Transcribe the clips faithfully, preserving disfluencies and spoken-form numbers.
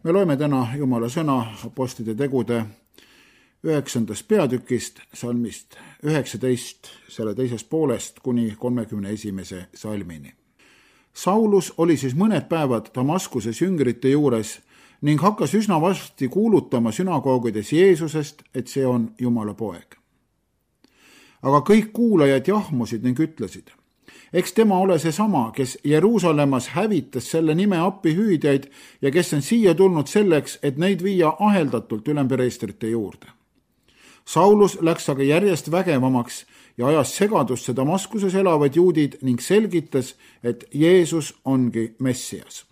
Me loeme täna Jumala sõna apostlite tegude üheksandast peatükist, salmist üheksateist, selle teisest poolest kuni kolmekümne esimese salmini. Saulus oli siis mõned päevad Damaskuses jüngrite juures ning hakkas üsna varsti kuulutama sünagoogides Jeesusest, et see on Jumala poeg. Aga kõik kuulajad jahmusid ning ütlesid, eks tema ole seesama, kes Jeruusalemmas hävitas selle nime appihüüdjaid ja kes on siia tulnud selleks, et neid viia aheldatult ülempreestrite juurde. Saulus läks aga järjest vägevamaks ja ajas segadusse Damaskuses elavad juudid ning selgitas, et Jeesus ongi Messias.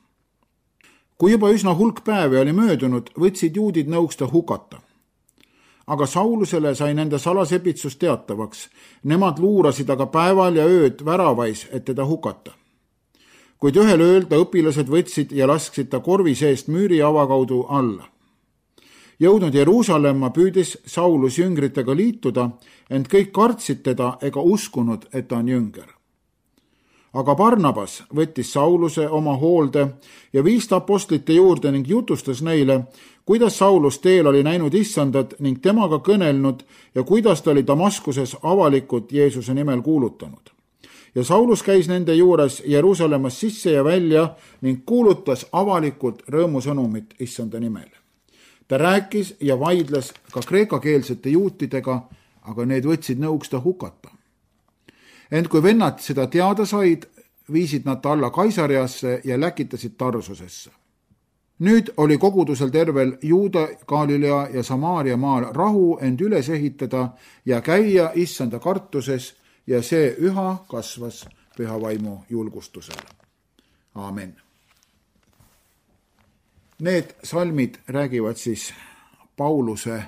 Kui juba üsna hulk päevi oli möödunud, võtsid juudid nõuks ta hukata. Aga Saulusele sai nende salasepitsus teatavaks. Nemad luurasid aga päeval ja ööd väravais, et teda hukata. Kuid ühel ööl ta õpilased võtsid ja lasksid ta korvi seest müüri avakaudu alla. Jõudnud Jeruusalemma püüdis Saulus jüngritega liituda, ent kõik kartsid teda ega uskunud, et ta on jünger. Aga Barnabas võttis Sauluse oma hoolde ja viis ta apostlite juurde ning jutustas neile, kuidas Saulus teel oli näinud issandat ning temaga kõnelnud ja kuidas ta oli Damaskuses avalikult Jeesuse nimel kuulutanud. Ja Saulus käis nende juures Jeruusalemmas sisse ja välja ning kuulutas avalikult rõõmusõnumit issanda nimel. Ta rääkis ja vaidles ka kreekakeelsete juutidega, aga need võtsid nõuks ta hukata. Ent kui vennad seda teada said, viisid nad ta alla Kaisariasse ja läkitasid Tarsusesse. Nüüd oli kogudusel tervel Juuda, Galilea ja Samaaria maal rahu end üles ehitada ja käia issanda kartuses ja see üha kasvas püha vaimu julgustusele. Aamen. Need salmid räägivad siis Pauluse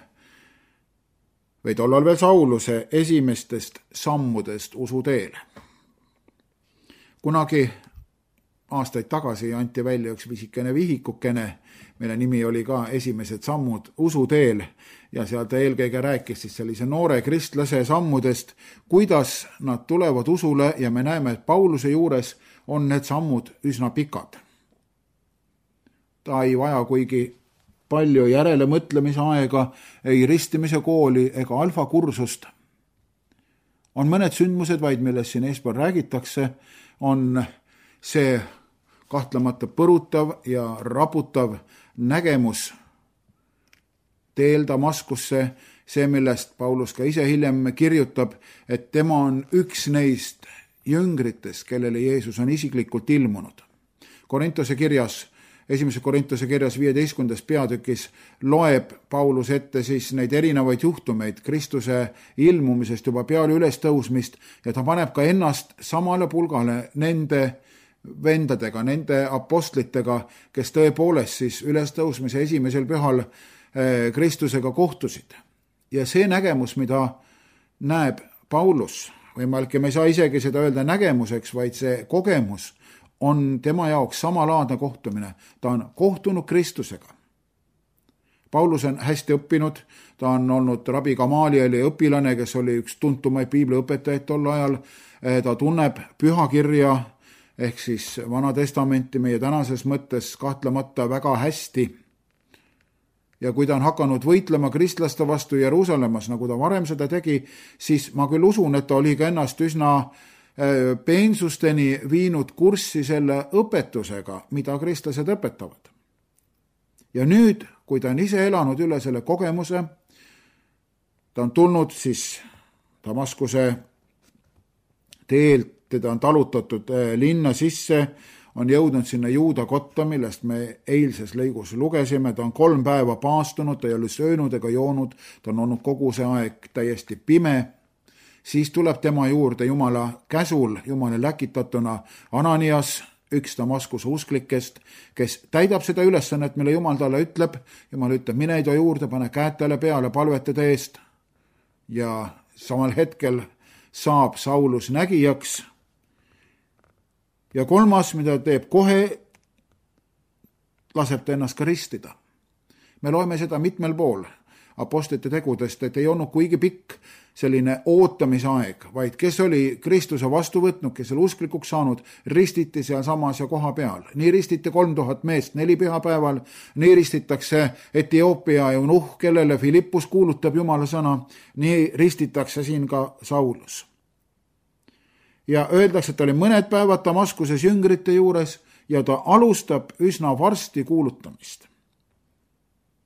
või tollal veel Sauluse esimestest sammudest usuteel. Kunagi aastaid tagasi anti välja üks visikene vihikukene, mille nimi oli ka Esimesed sammud usuteel ja seal ta eelkõige rääkis siis sellise noore kristlase sammudest, kuidas nad tulevad usule ja me näeme, et Pauluse juures on need sammud üsna pikad. Ta ei vaja kuigi palju järele mõtlemise aega, ei ristimise kooli ega alfakursust. On mõned sündmused vaid, millest siin eespool räägitakse, on see kahtlemata põrutav ja raputav nägemus teel Damaskusse, see, millest Paulus ka ise hiljem kirjutab, et tema on üks neist jüngritest, kellele Jeesus on isiklikult ilmunud. Korintuse kirjas Esimese Korintuse kirjas viieteistkümnendas peatükis loeb Paulus ette siis neid erinevaid juhtumeid Kristuse ilmumisest juba peale ülestõusmist ja ta paneb ka ennast samale pulgale nende vendadega, nende apostlitega, kes tõepoolest siis ülestõusmise esimesel pühal Kristusega kohtusid. Ja see nägemus, mida näeb Paulus, võimalik, me ei saa isegi seda öelda nägemuseks, vaid see kogemus on tema jaoks samalaadne kohtumine. Ta on kohtunud Kristusega. Paulus on hästi õppinud, ta on olnud rabi Gamalieli õpilane, kes oli üks tuntumaid piibliõpetajaid tol ajal. Ta tunneb pühakirja ehk siis Vana Testamenti meie tänases mõttes kahtlemata väga hästi. Ja kui ta on hakanud võitlema kristlaste vastu Jeruusalemmas, nagu ta varem seda tegi, siis ma küll usun, et ta oli ka ennast üsna peensusteni viinud kurssi selle õpetusega, mida kristlased õpetavad. Ja nüüd, kui ta on ise elanud üle selle kogemuse, ta on tulnud siis Damaskuse teelt, teda on talutatud linna sisse, on jõudnud sinna Juuda kotta, millest me eilses lõigus lugesime, ta on kolm päeva paastunud, ta ei ole söönud ega joonud, ta on olnud kogu see aeg täiesti pime. Siis tuleb tema juurde Jumala käsul, Jumala läkitatuna Ananias, üks Damaskuse usklikest, kes täidab seda ülesannet, mille Jumal talle ütleb. Jumal ütleb, mine ta juurde, pane käed talle peale, palvetada eest. Ja samal hetkel saab Saulus nägijaks. Ja kolmas, mida teeb kohe, laseb ta ennast ka ristida. Me loeme seda mitmel pool. apostlite tegudest, et ei olnud kuigi pikk selline ootamisaeg, vaid kes oli Kristuse vastu võtnud, kes oli usklikuks saanud, ristiti sealsamas ja koha peal. Nii ristiti kolm tuhat meest neli pühapäeval, nii ristitakse Etioopia eunuh, kellele Filippus kuulutab Jumala sõna, nii ristitakse siin ka Saulus. Ja öeldakse, et ta oli mõned päevad Damaskuses jüngrite juures ja ta alustab üsna varsti kuulutamist.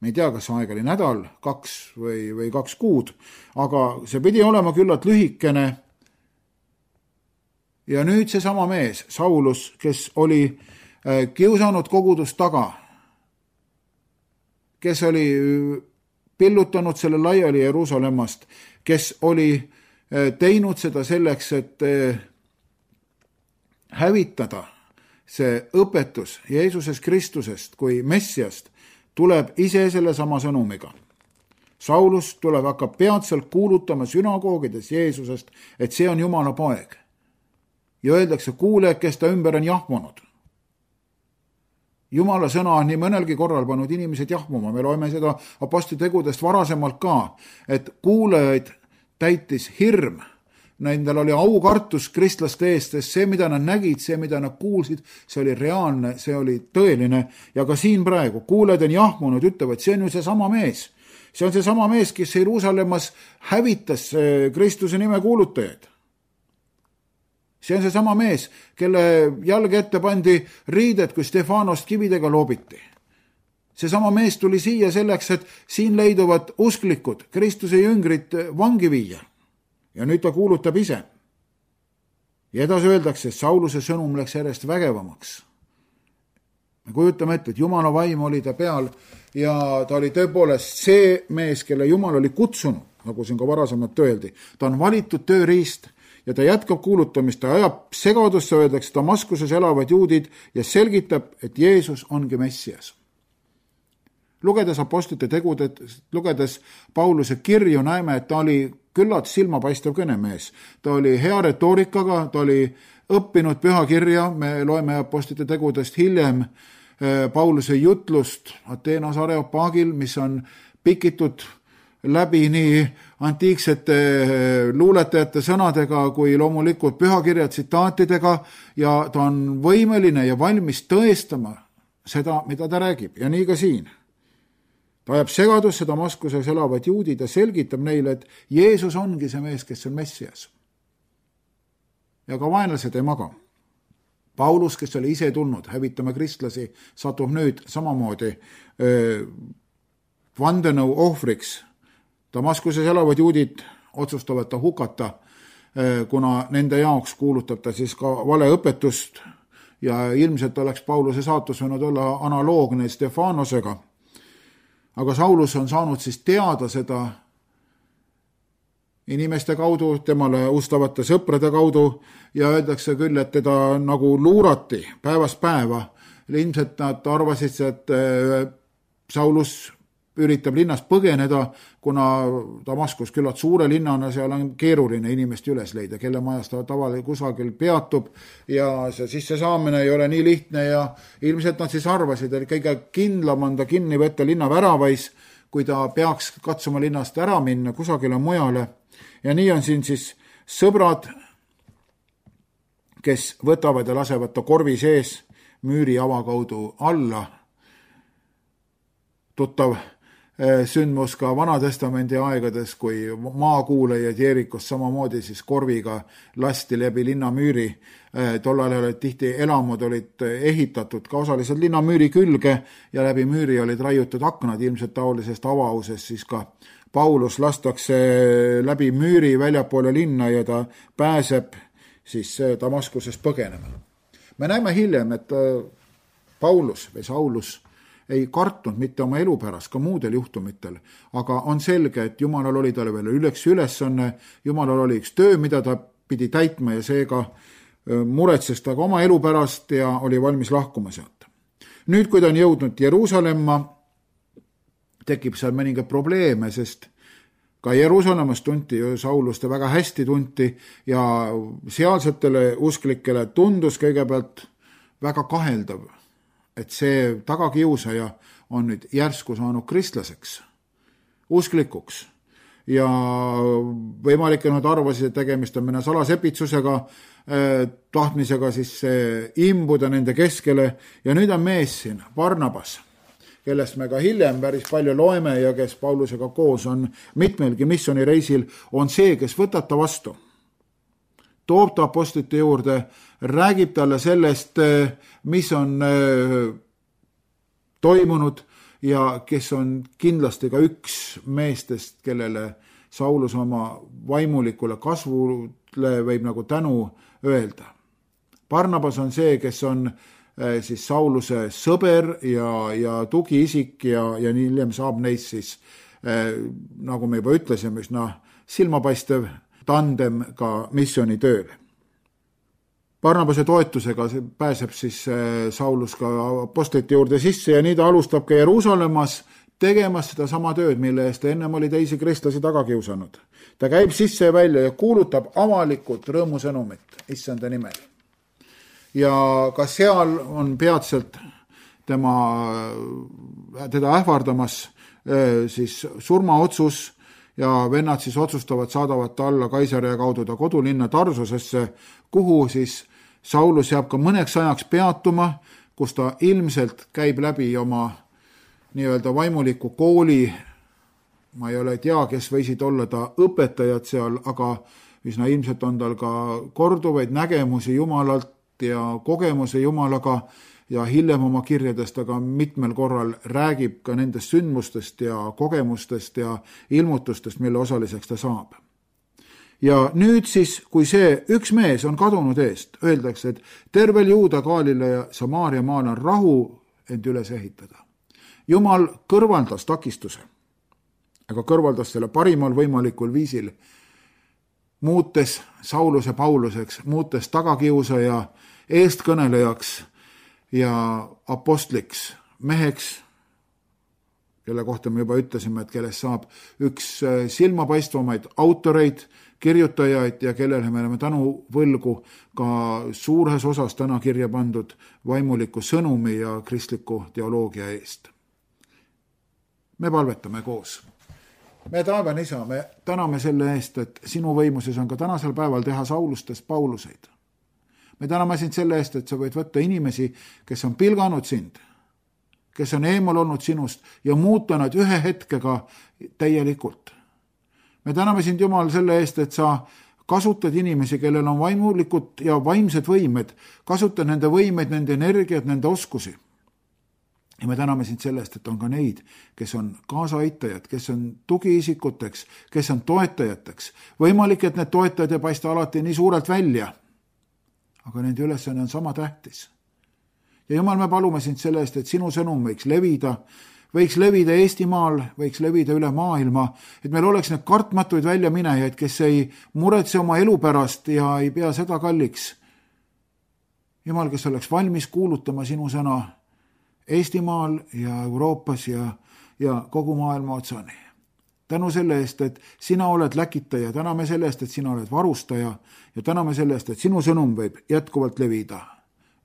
Me ei tea, kas aeg oli nädal, kaks või, või kaks kuud, aga see pidi olema küllalt lühikene. Ja nüüd see sama mees, Saulus, kes oli kiusanud kogudust taga, kes oli pillutanud selle laiali Jeruusalemmast, kes oli teinud seda selleks, et hävitada see õpetus Jeesuses Kristusest kui Messiast, tuleb ise selle sama sõnumiga. Saulus tuleb hakkab peatselt kuulutama sünagoogides Jeesusest, et see on Jumala poeg. Ja öeldakse, kuule, kes ta ümber on jahmunud. Jumala sõna on nii mõnelgi korral pannud inimesed jahmuma. Me loeme seda apostlite tegudest varasemalt ka, et kuulajaid täitis hirm. Nendel oli aukartus kristlaste eest, sest see, mida nad nägid, see, mida nad kuulsid, see oli reaalne, see oli tõeline. Ja ka siin praegu kuulajad on jahmunud, ütlevad, see on ju see sama mees. See on see sama mees, kes Jeruusalemmas hävitas Kristuse nime kuulutajaid. See on see sama mees, kelle jalge ette pandi riided, kui Stefanost kividega loobiti. See sama mees tuli siia selleks, et siin leiduvad usklikud Kristuse jüngrid vangi viia. Ja nüüd ta kuulutab ise. Ja edasi öeldakse, et Sauluse sõnum läks järjest vägevamaks. Me kujutame ette, et Jumala vaim oli ta peal ja ta oli tõepoolest see mees, kelle Jumal oli kutsunud, nagu siin ka varasemalt öeldi. Ta on valitud tööriist ja ta jätkab kuulutamist, ta ajab segadusse, öeldakse Damaskuses elavad juudid ja selgitab, et Jeesus ongi Messias. Lugedes apostlite tegudet, lugedes Pauluse kirju, näeme, et ta oli küllalt silmapaistev kõnemees. Ta oli hea retoorikaga, ta oli õppinud pühakirja, me loeme apostlite tegudest hiljem Pauluse jutlust Ateenas Areopagil, mis on pikitud läbi nii antiiksete luuletajate sõnadega kui loomulikult pühakirja tsitaatidega ja ta on võimeline ja valmis tõestama seda, mida ta räägib. Ja nii ka siin. Ta ajab segadusse Damaskuses elavad juudid ja selgitab neile, et Jeesus ongi see mees, kes on Messias. Ja ka vaenlased ei maga. Paulus, kes oli ise tulnud hävitama kristlasi, satub nüüd samamoodi öö, vandenõu ohvriks. Damaskuses elavad juudid otsustavad ta hukata, öö, kuna nende jaoks kuulutab ta siis ka valeõpetust ja ilmselt oleks Pauluse saatus võinud olla analoogne Stefanosega. Aga Saulus on saanud siis teada seda inimeste kaudu, temale ustavate sõprade kaudu ja öeldakse küll, et teda nagu luurati päevast päeva. Ilmselt nad arvasid, et Saulus üritab linnast põgeneda, kuna Damaskus küllalt suure linnana, seal on keeruline inimest üles leida, kelle majas ta tavali kusagil peatub ja see sisse saamine ei ole nii lihtne ja ilmselt nad siis arvasid, et kõige kindlam on ta kinni võtta linna väravais, kui ta peaks katsuma linnast ära minna kusagile mujale. Ja nii on siin siis sõbrad, kes võtavad ja lasevad ta korvi sees müüri avakaudu alla. Tuttav sündmus ka Vanatestamendi aegades, kui maakuulajad Jeerikos samamoodi siis korviga lasti läbi linnamüüri. Tollal olid tihti elamud olid ehitatud ka osaliselt linnamüüri külge ja läbi müüri olid raiutud aknad, ilmselt taolisest avausest siis ka Paulus lastakse läbi müüri väljapoole linna ja ta pääseb siis Damaskuses põgenema. Me näeme hiljem, et Paulus või Saulus ei kartnud mitte oma elu pärast, ka muudel juhtumitel, aga on selge, et Jumalal oli talle veel üleks ülesanne, Jumalal oli üks töö, mida ta pidi täitma ja seega muretses ta ka oma elu pärast ja oli valmis lahkuma sealt. Nüüd, kui ta on jõudnud Jeruusalemma, tekib seal mõningaid probleeme, sest ka Jeruusalemmas tunti ju Saulust väga hästi tunti ja sealsetele usklikele tundus kõigepealt väga kaheldav, et see tagakiusaja on nüüd järsku saanud kristlaseks. usklikuks. Ja võimalik, et nad arvasid, et tegemist on mõne salasepitsusega, tahtmisega siis imbuda nende keskele ja nüüd on mees siin, Barnabas, kellest me ka hiljem päris palju loeme ja kes Paulusega koos on mitmelgi missioonireisil, on see, kes võtab ta vastu. Toob ta apostlite juurde, räägib talle sellest, mis on toimunud ja kes on kindlasti ka üks meestest, kellele Saulus oma vaimulikule kasvule võib nagu tänu öelda. Barnabas on see, kes on siis Sauluse sõber ja, ja tugiisik ja, ja nii hiljem saab neist siis, nagu me juba ütlesime, üsna silmapaistev tandem ka missioonitööl. Barnabase toetusega pääseb siis Saulus ka apostlite juurde sisse ja nii ta alustab ka Jeruusalemmas tegemas seda sama tööd, mille eest ennem oli teisi kristlasi taga kiusanud. Ta käib sisse ja välja ja kuulutab avalikult rõõmusõnumit issanda nimel. Ja ka seal on peatselt tema, teda ähvardamas siis surmaotsus ja vennad siis otsustavad, saadavad ta alla Kaisarea kaudu ta kodulinna Tarsusesse, kuhu siis Saulus jääb ka mõneks ajaks peatuma, kus ta ilmselt käib läbi oma nii-öelda vaimuliku kooli. Ma ei ole tea, kes võisid olla ta õpetajad seal, aga üsna ilmselt on tal ka korduvaid nägemusi Jumalalt ja kogemuse Jumalaga ja hiljem oma kirjadest aga mitmel korral räägib ka nendest sündmustest ja kogemustest ja ilmutustest, mille osaliseks ta saab. Ja nüüd siis, kui see üks mees on kadunud eest, öeldakse, et tervel Juuda, Gaalile ja Samaaria maal on rahu end üles ehitada. Jumal kõrvaldas takistuse, aga kõrvaldas selle parimal võimalikul viisil, muutes Sauluse Pauluseks, muutes tagakiusaja eestkõnelejaks ja apostliks, meheks, kelle kohta me juba ütlesime, et kellest saab üks silmapaistvamaid autoreid, kirjutajaid ja kellele me oleme tänu võlgu ka suures osas täna kirja pandud vaimuliku sõnumi ja kristliku teoloogia eest. Me palvetame koos. Me taevane isa, me täname selle eest, et sinu võimuses on ka tänasel päeval teha Saulustest Pauluseid. Me täname sind selle eest, et sa võid võtta inimesi, kes on pilganud sind, kes on eemal olnud sinust ja muuta nad ühe hetkega täielikult. Me täname sind, Jumal, selle eest, et sa kasutad inimesi, kellel on vaimulikud ja vaimsed võimed, kasutad nende võimeid, nende energiat, nende oskusi. Ja me täname sind selle eest, et on ka neid, kes on kaasaaitajad, kes on tugiisikuteks, kes on toetajateks. Võimalik, et need toetajad ei paista alati nii suurelt välja, aga nende ülesanne on sama tähtis. Ja Jumal, me palume sind selle eest, et sinu sõnum võiks levida, võiks levida Eestimaal, võiks levida üle maailma, et meil oleks need kartmatuid väljaminejaid, kes ei muretse oma elu pärast ja ei pea seda kalliks. Jumal, kes oleks valmis kuulutama sinu sõna Eestimaal ja Euroopas ja, ja kogu maailma otsani. Tänu selle eest, et sina oled läkitaja, täname selle eest, et sina oled varustaja ja täname selle eest, et sinu sõnum võib jätkuvalt levida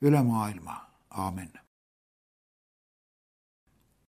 üle maailma. Aamen.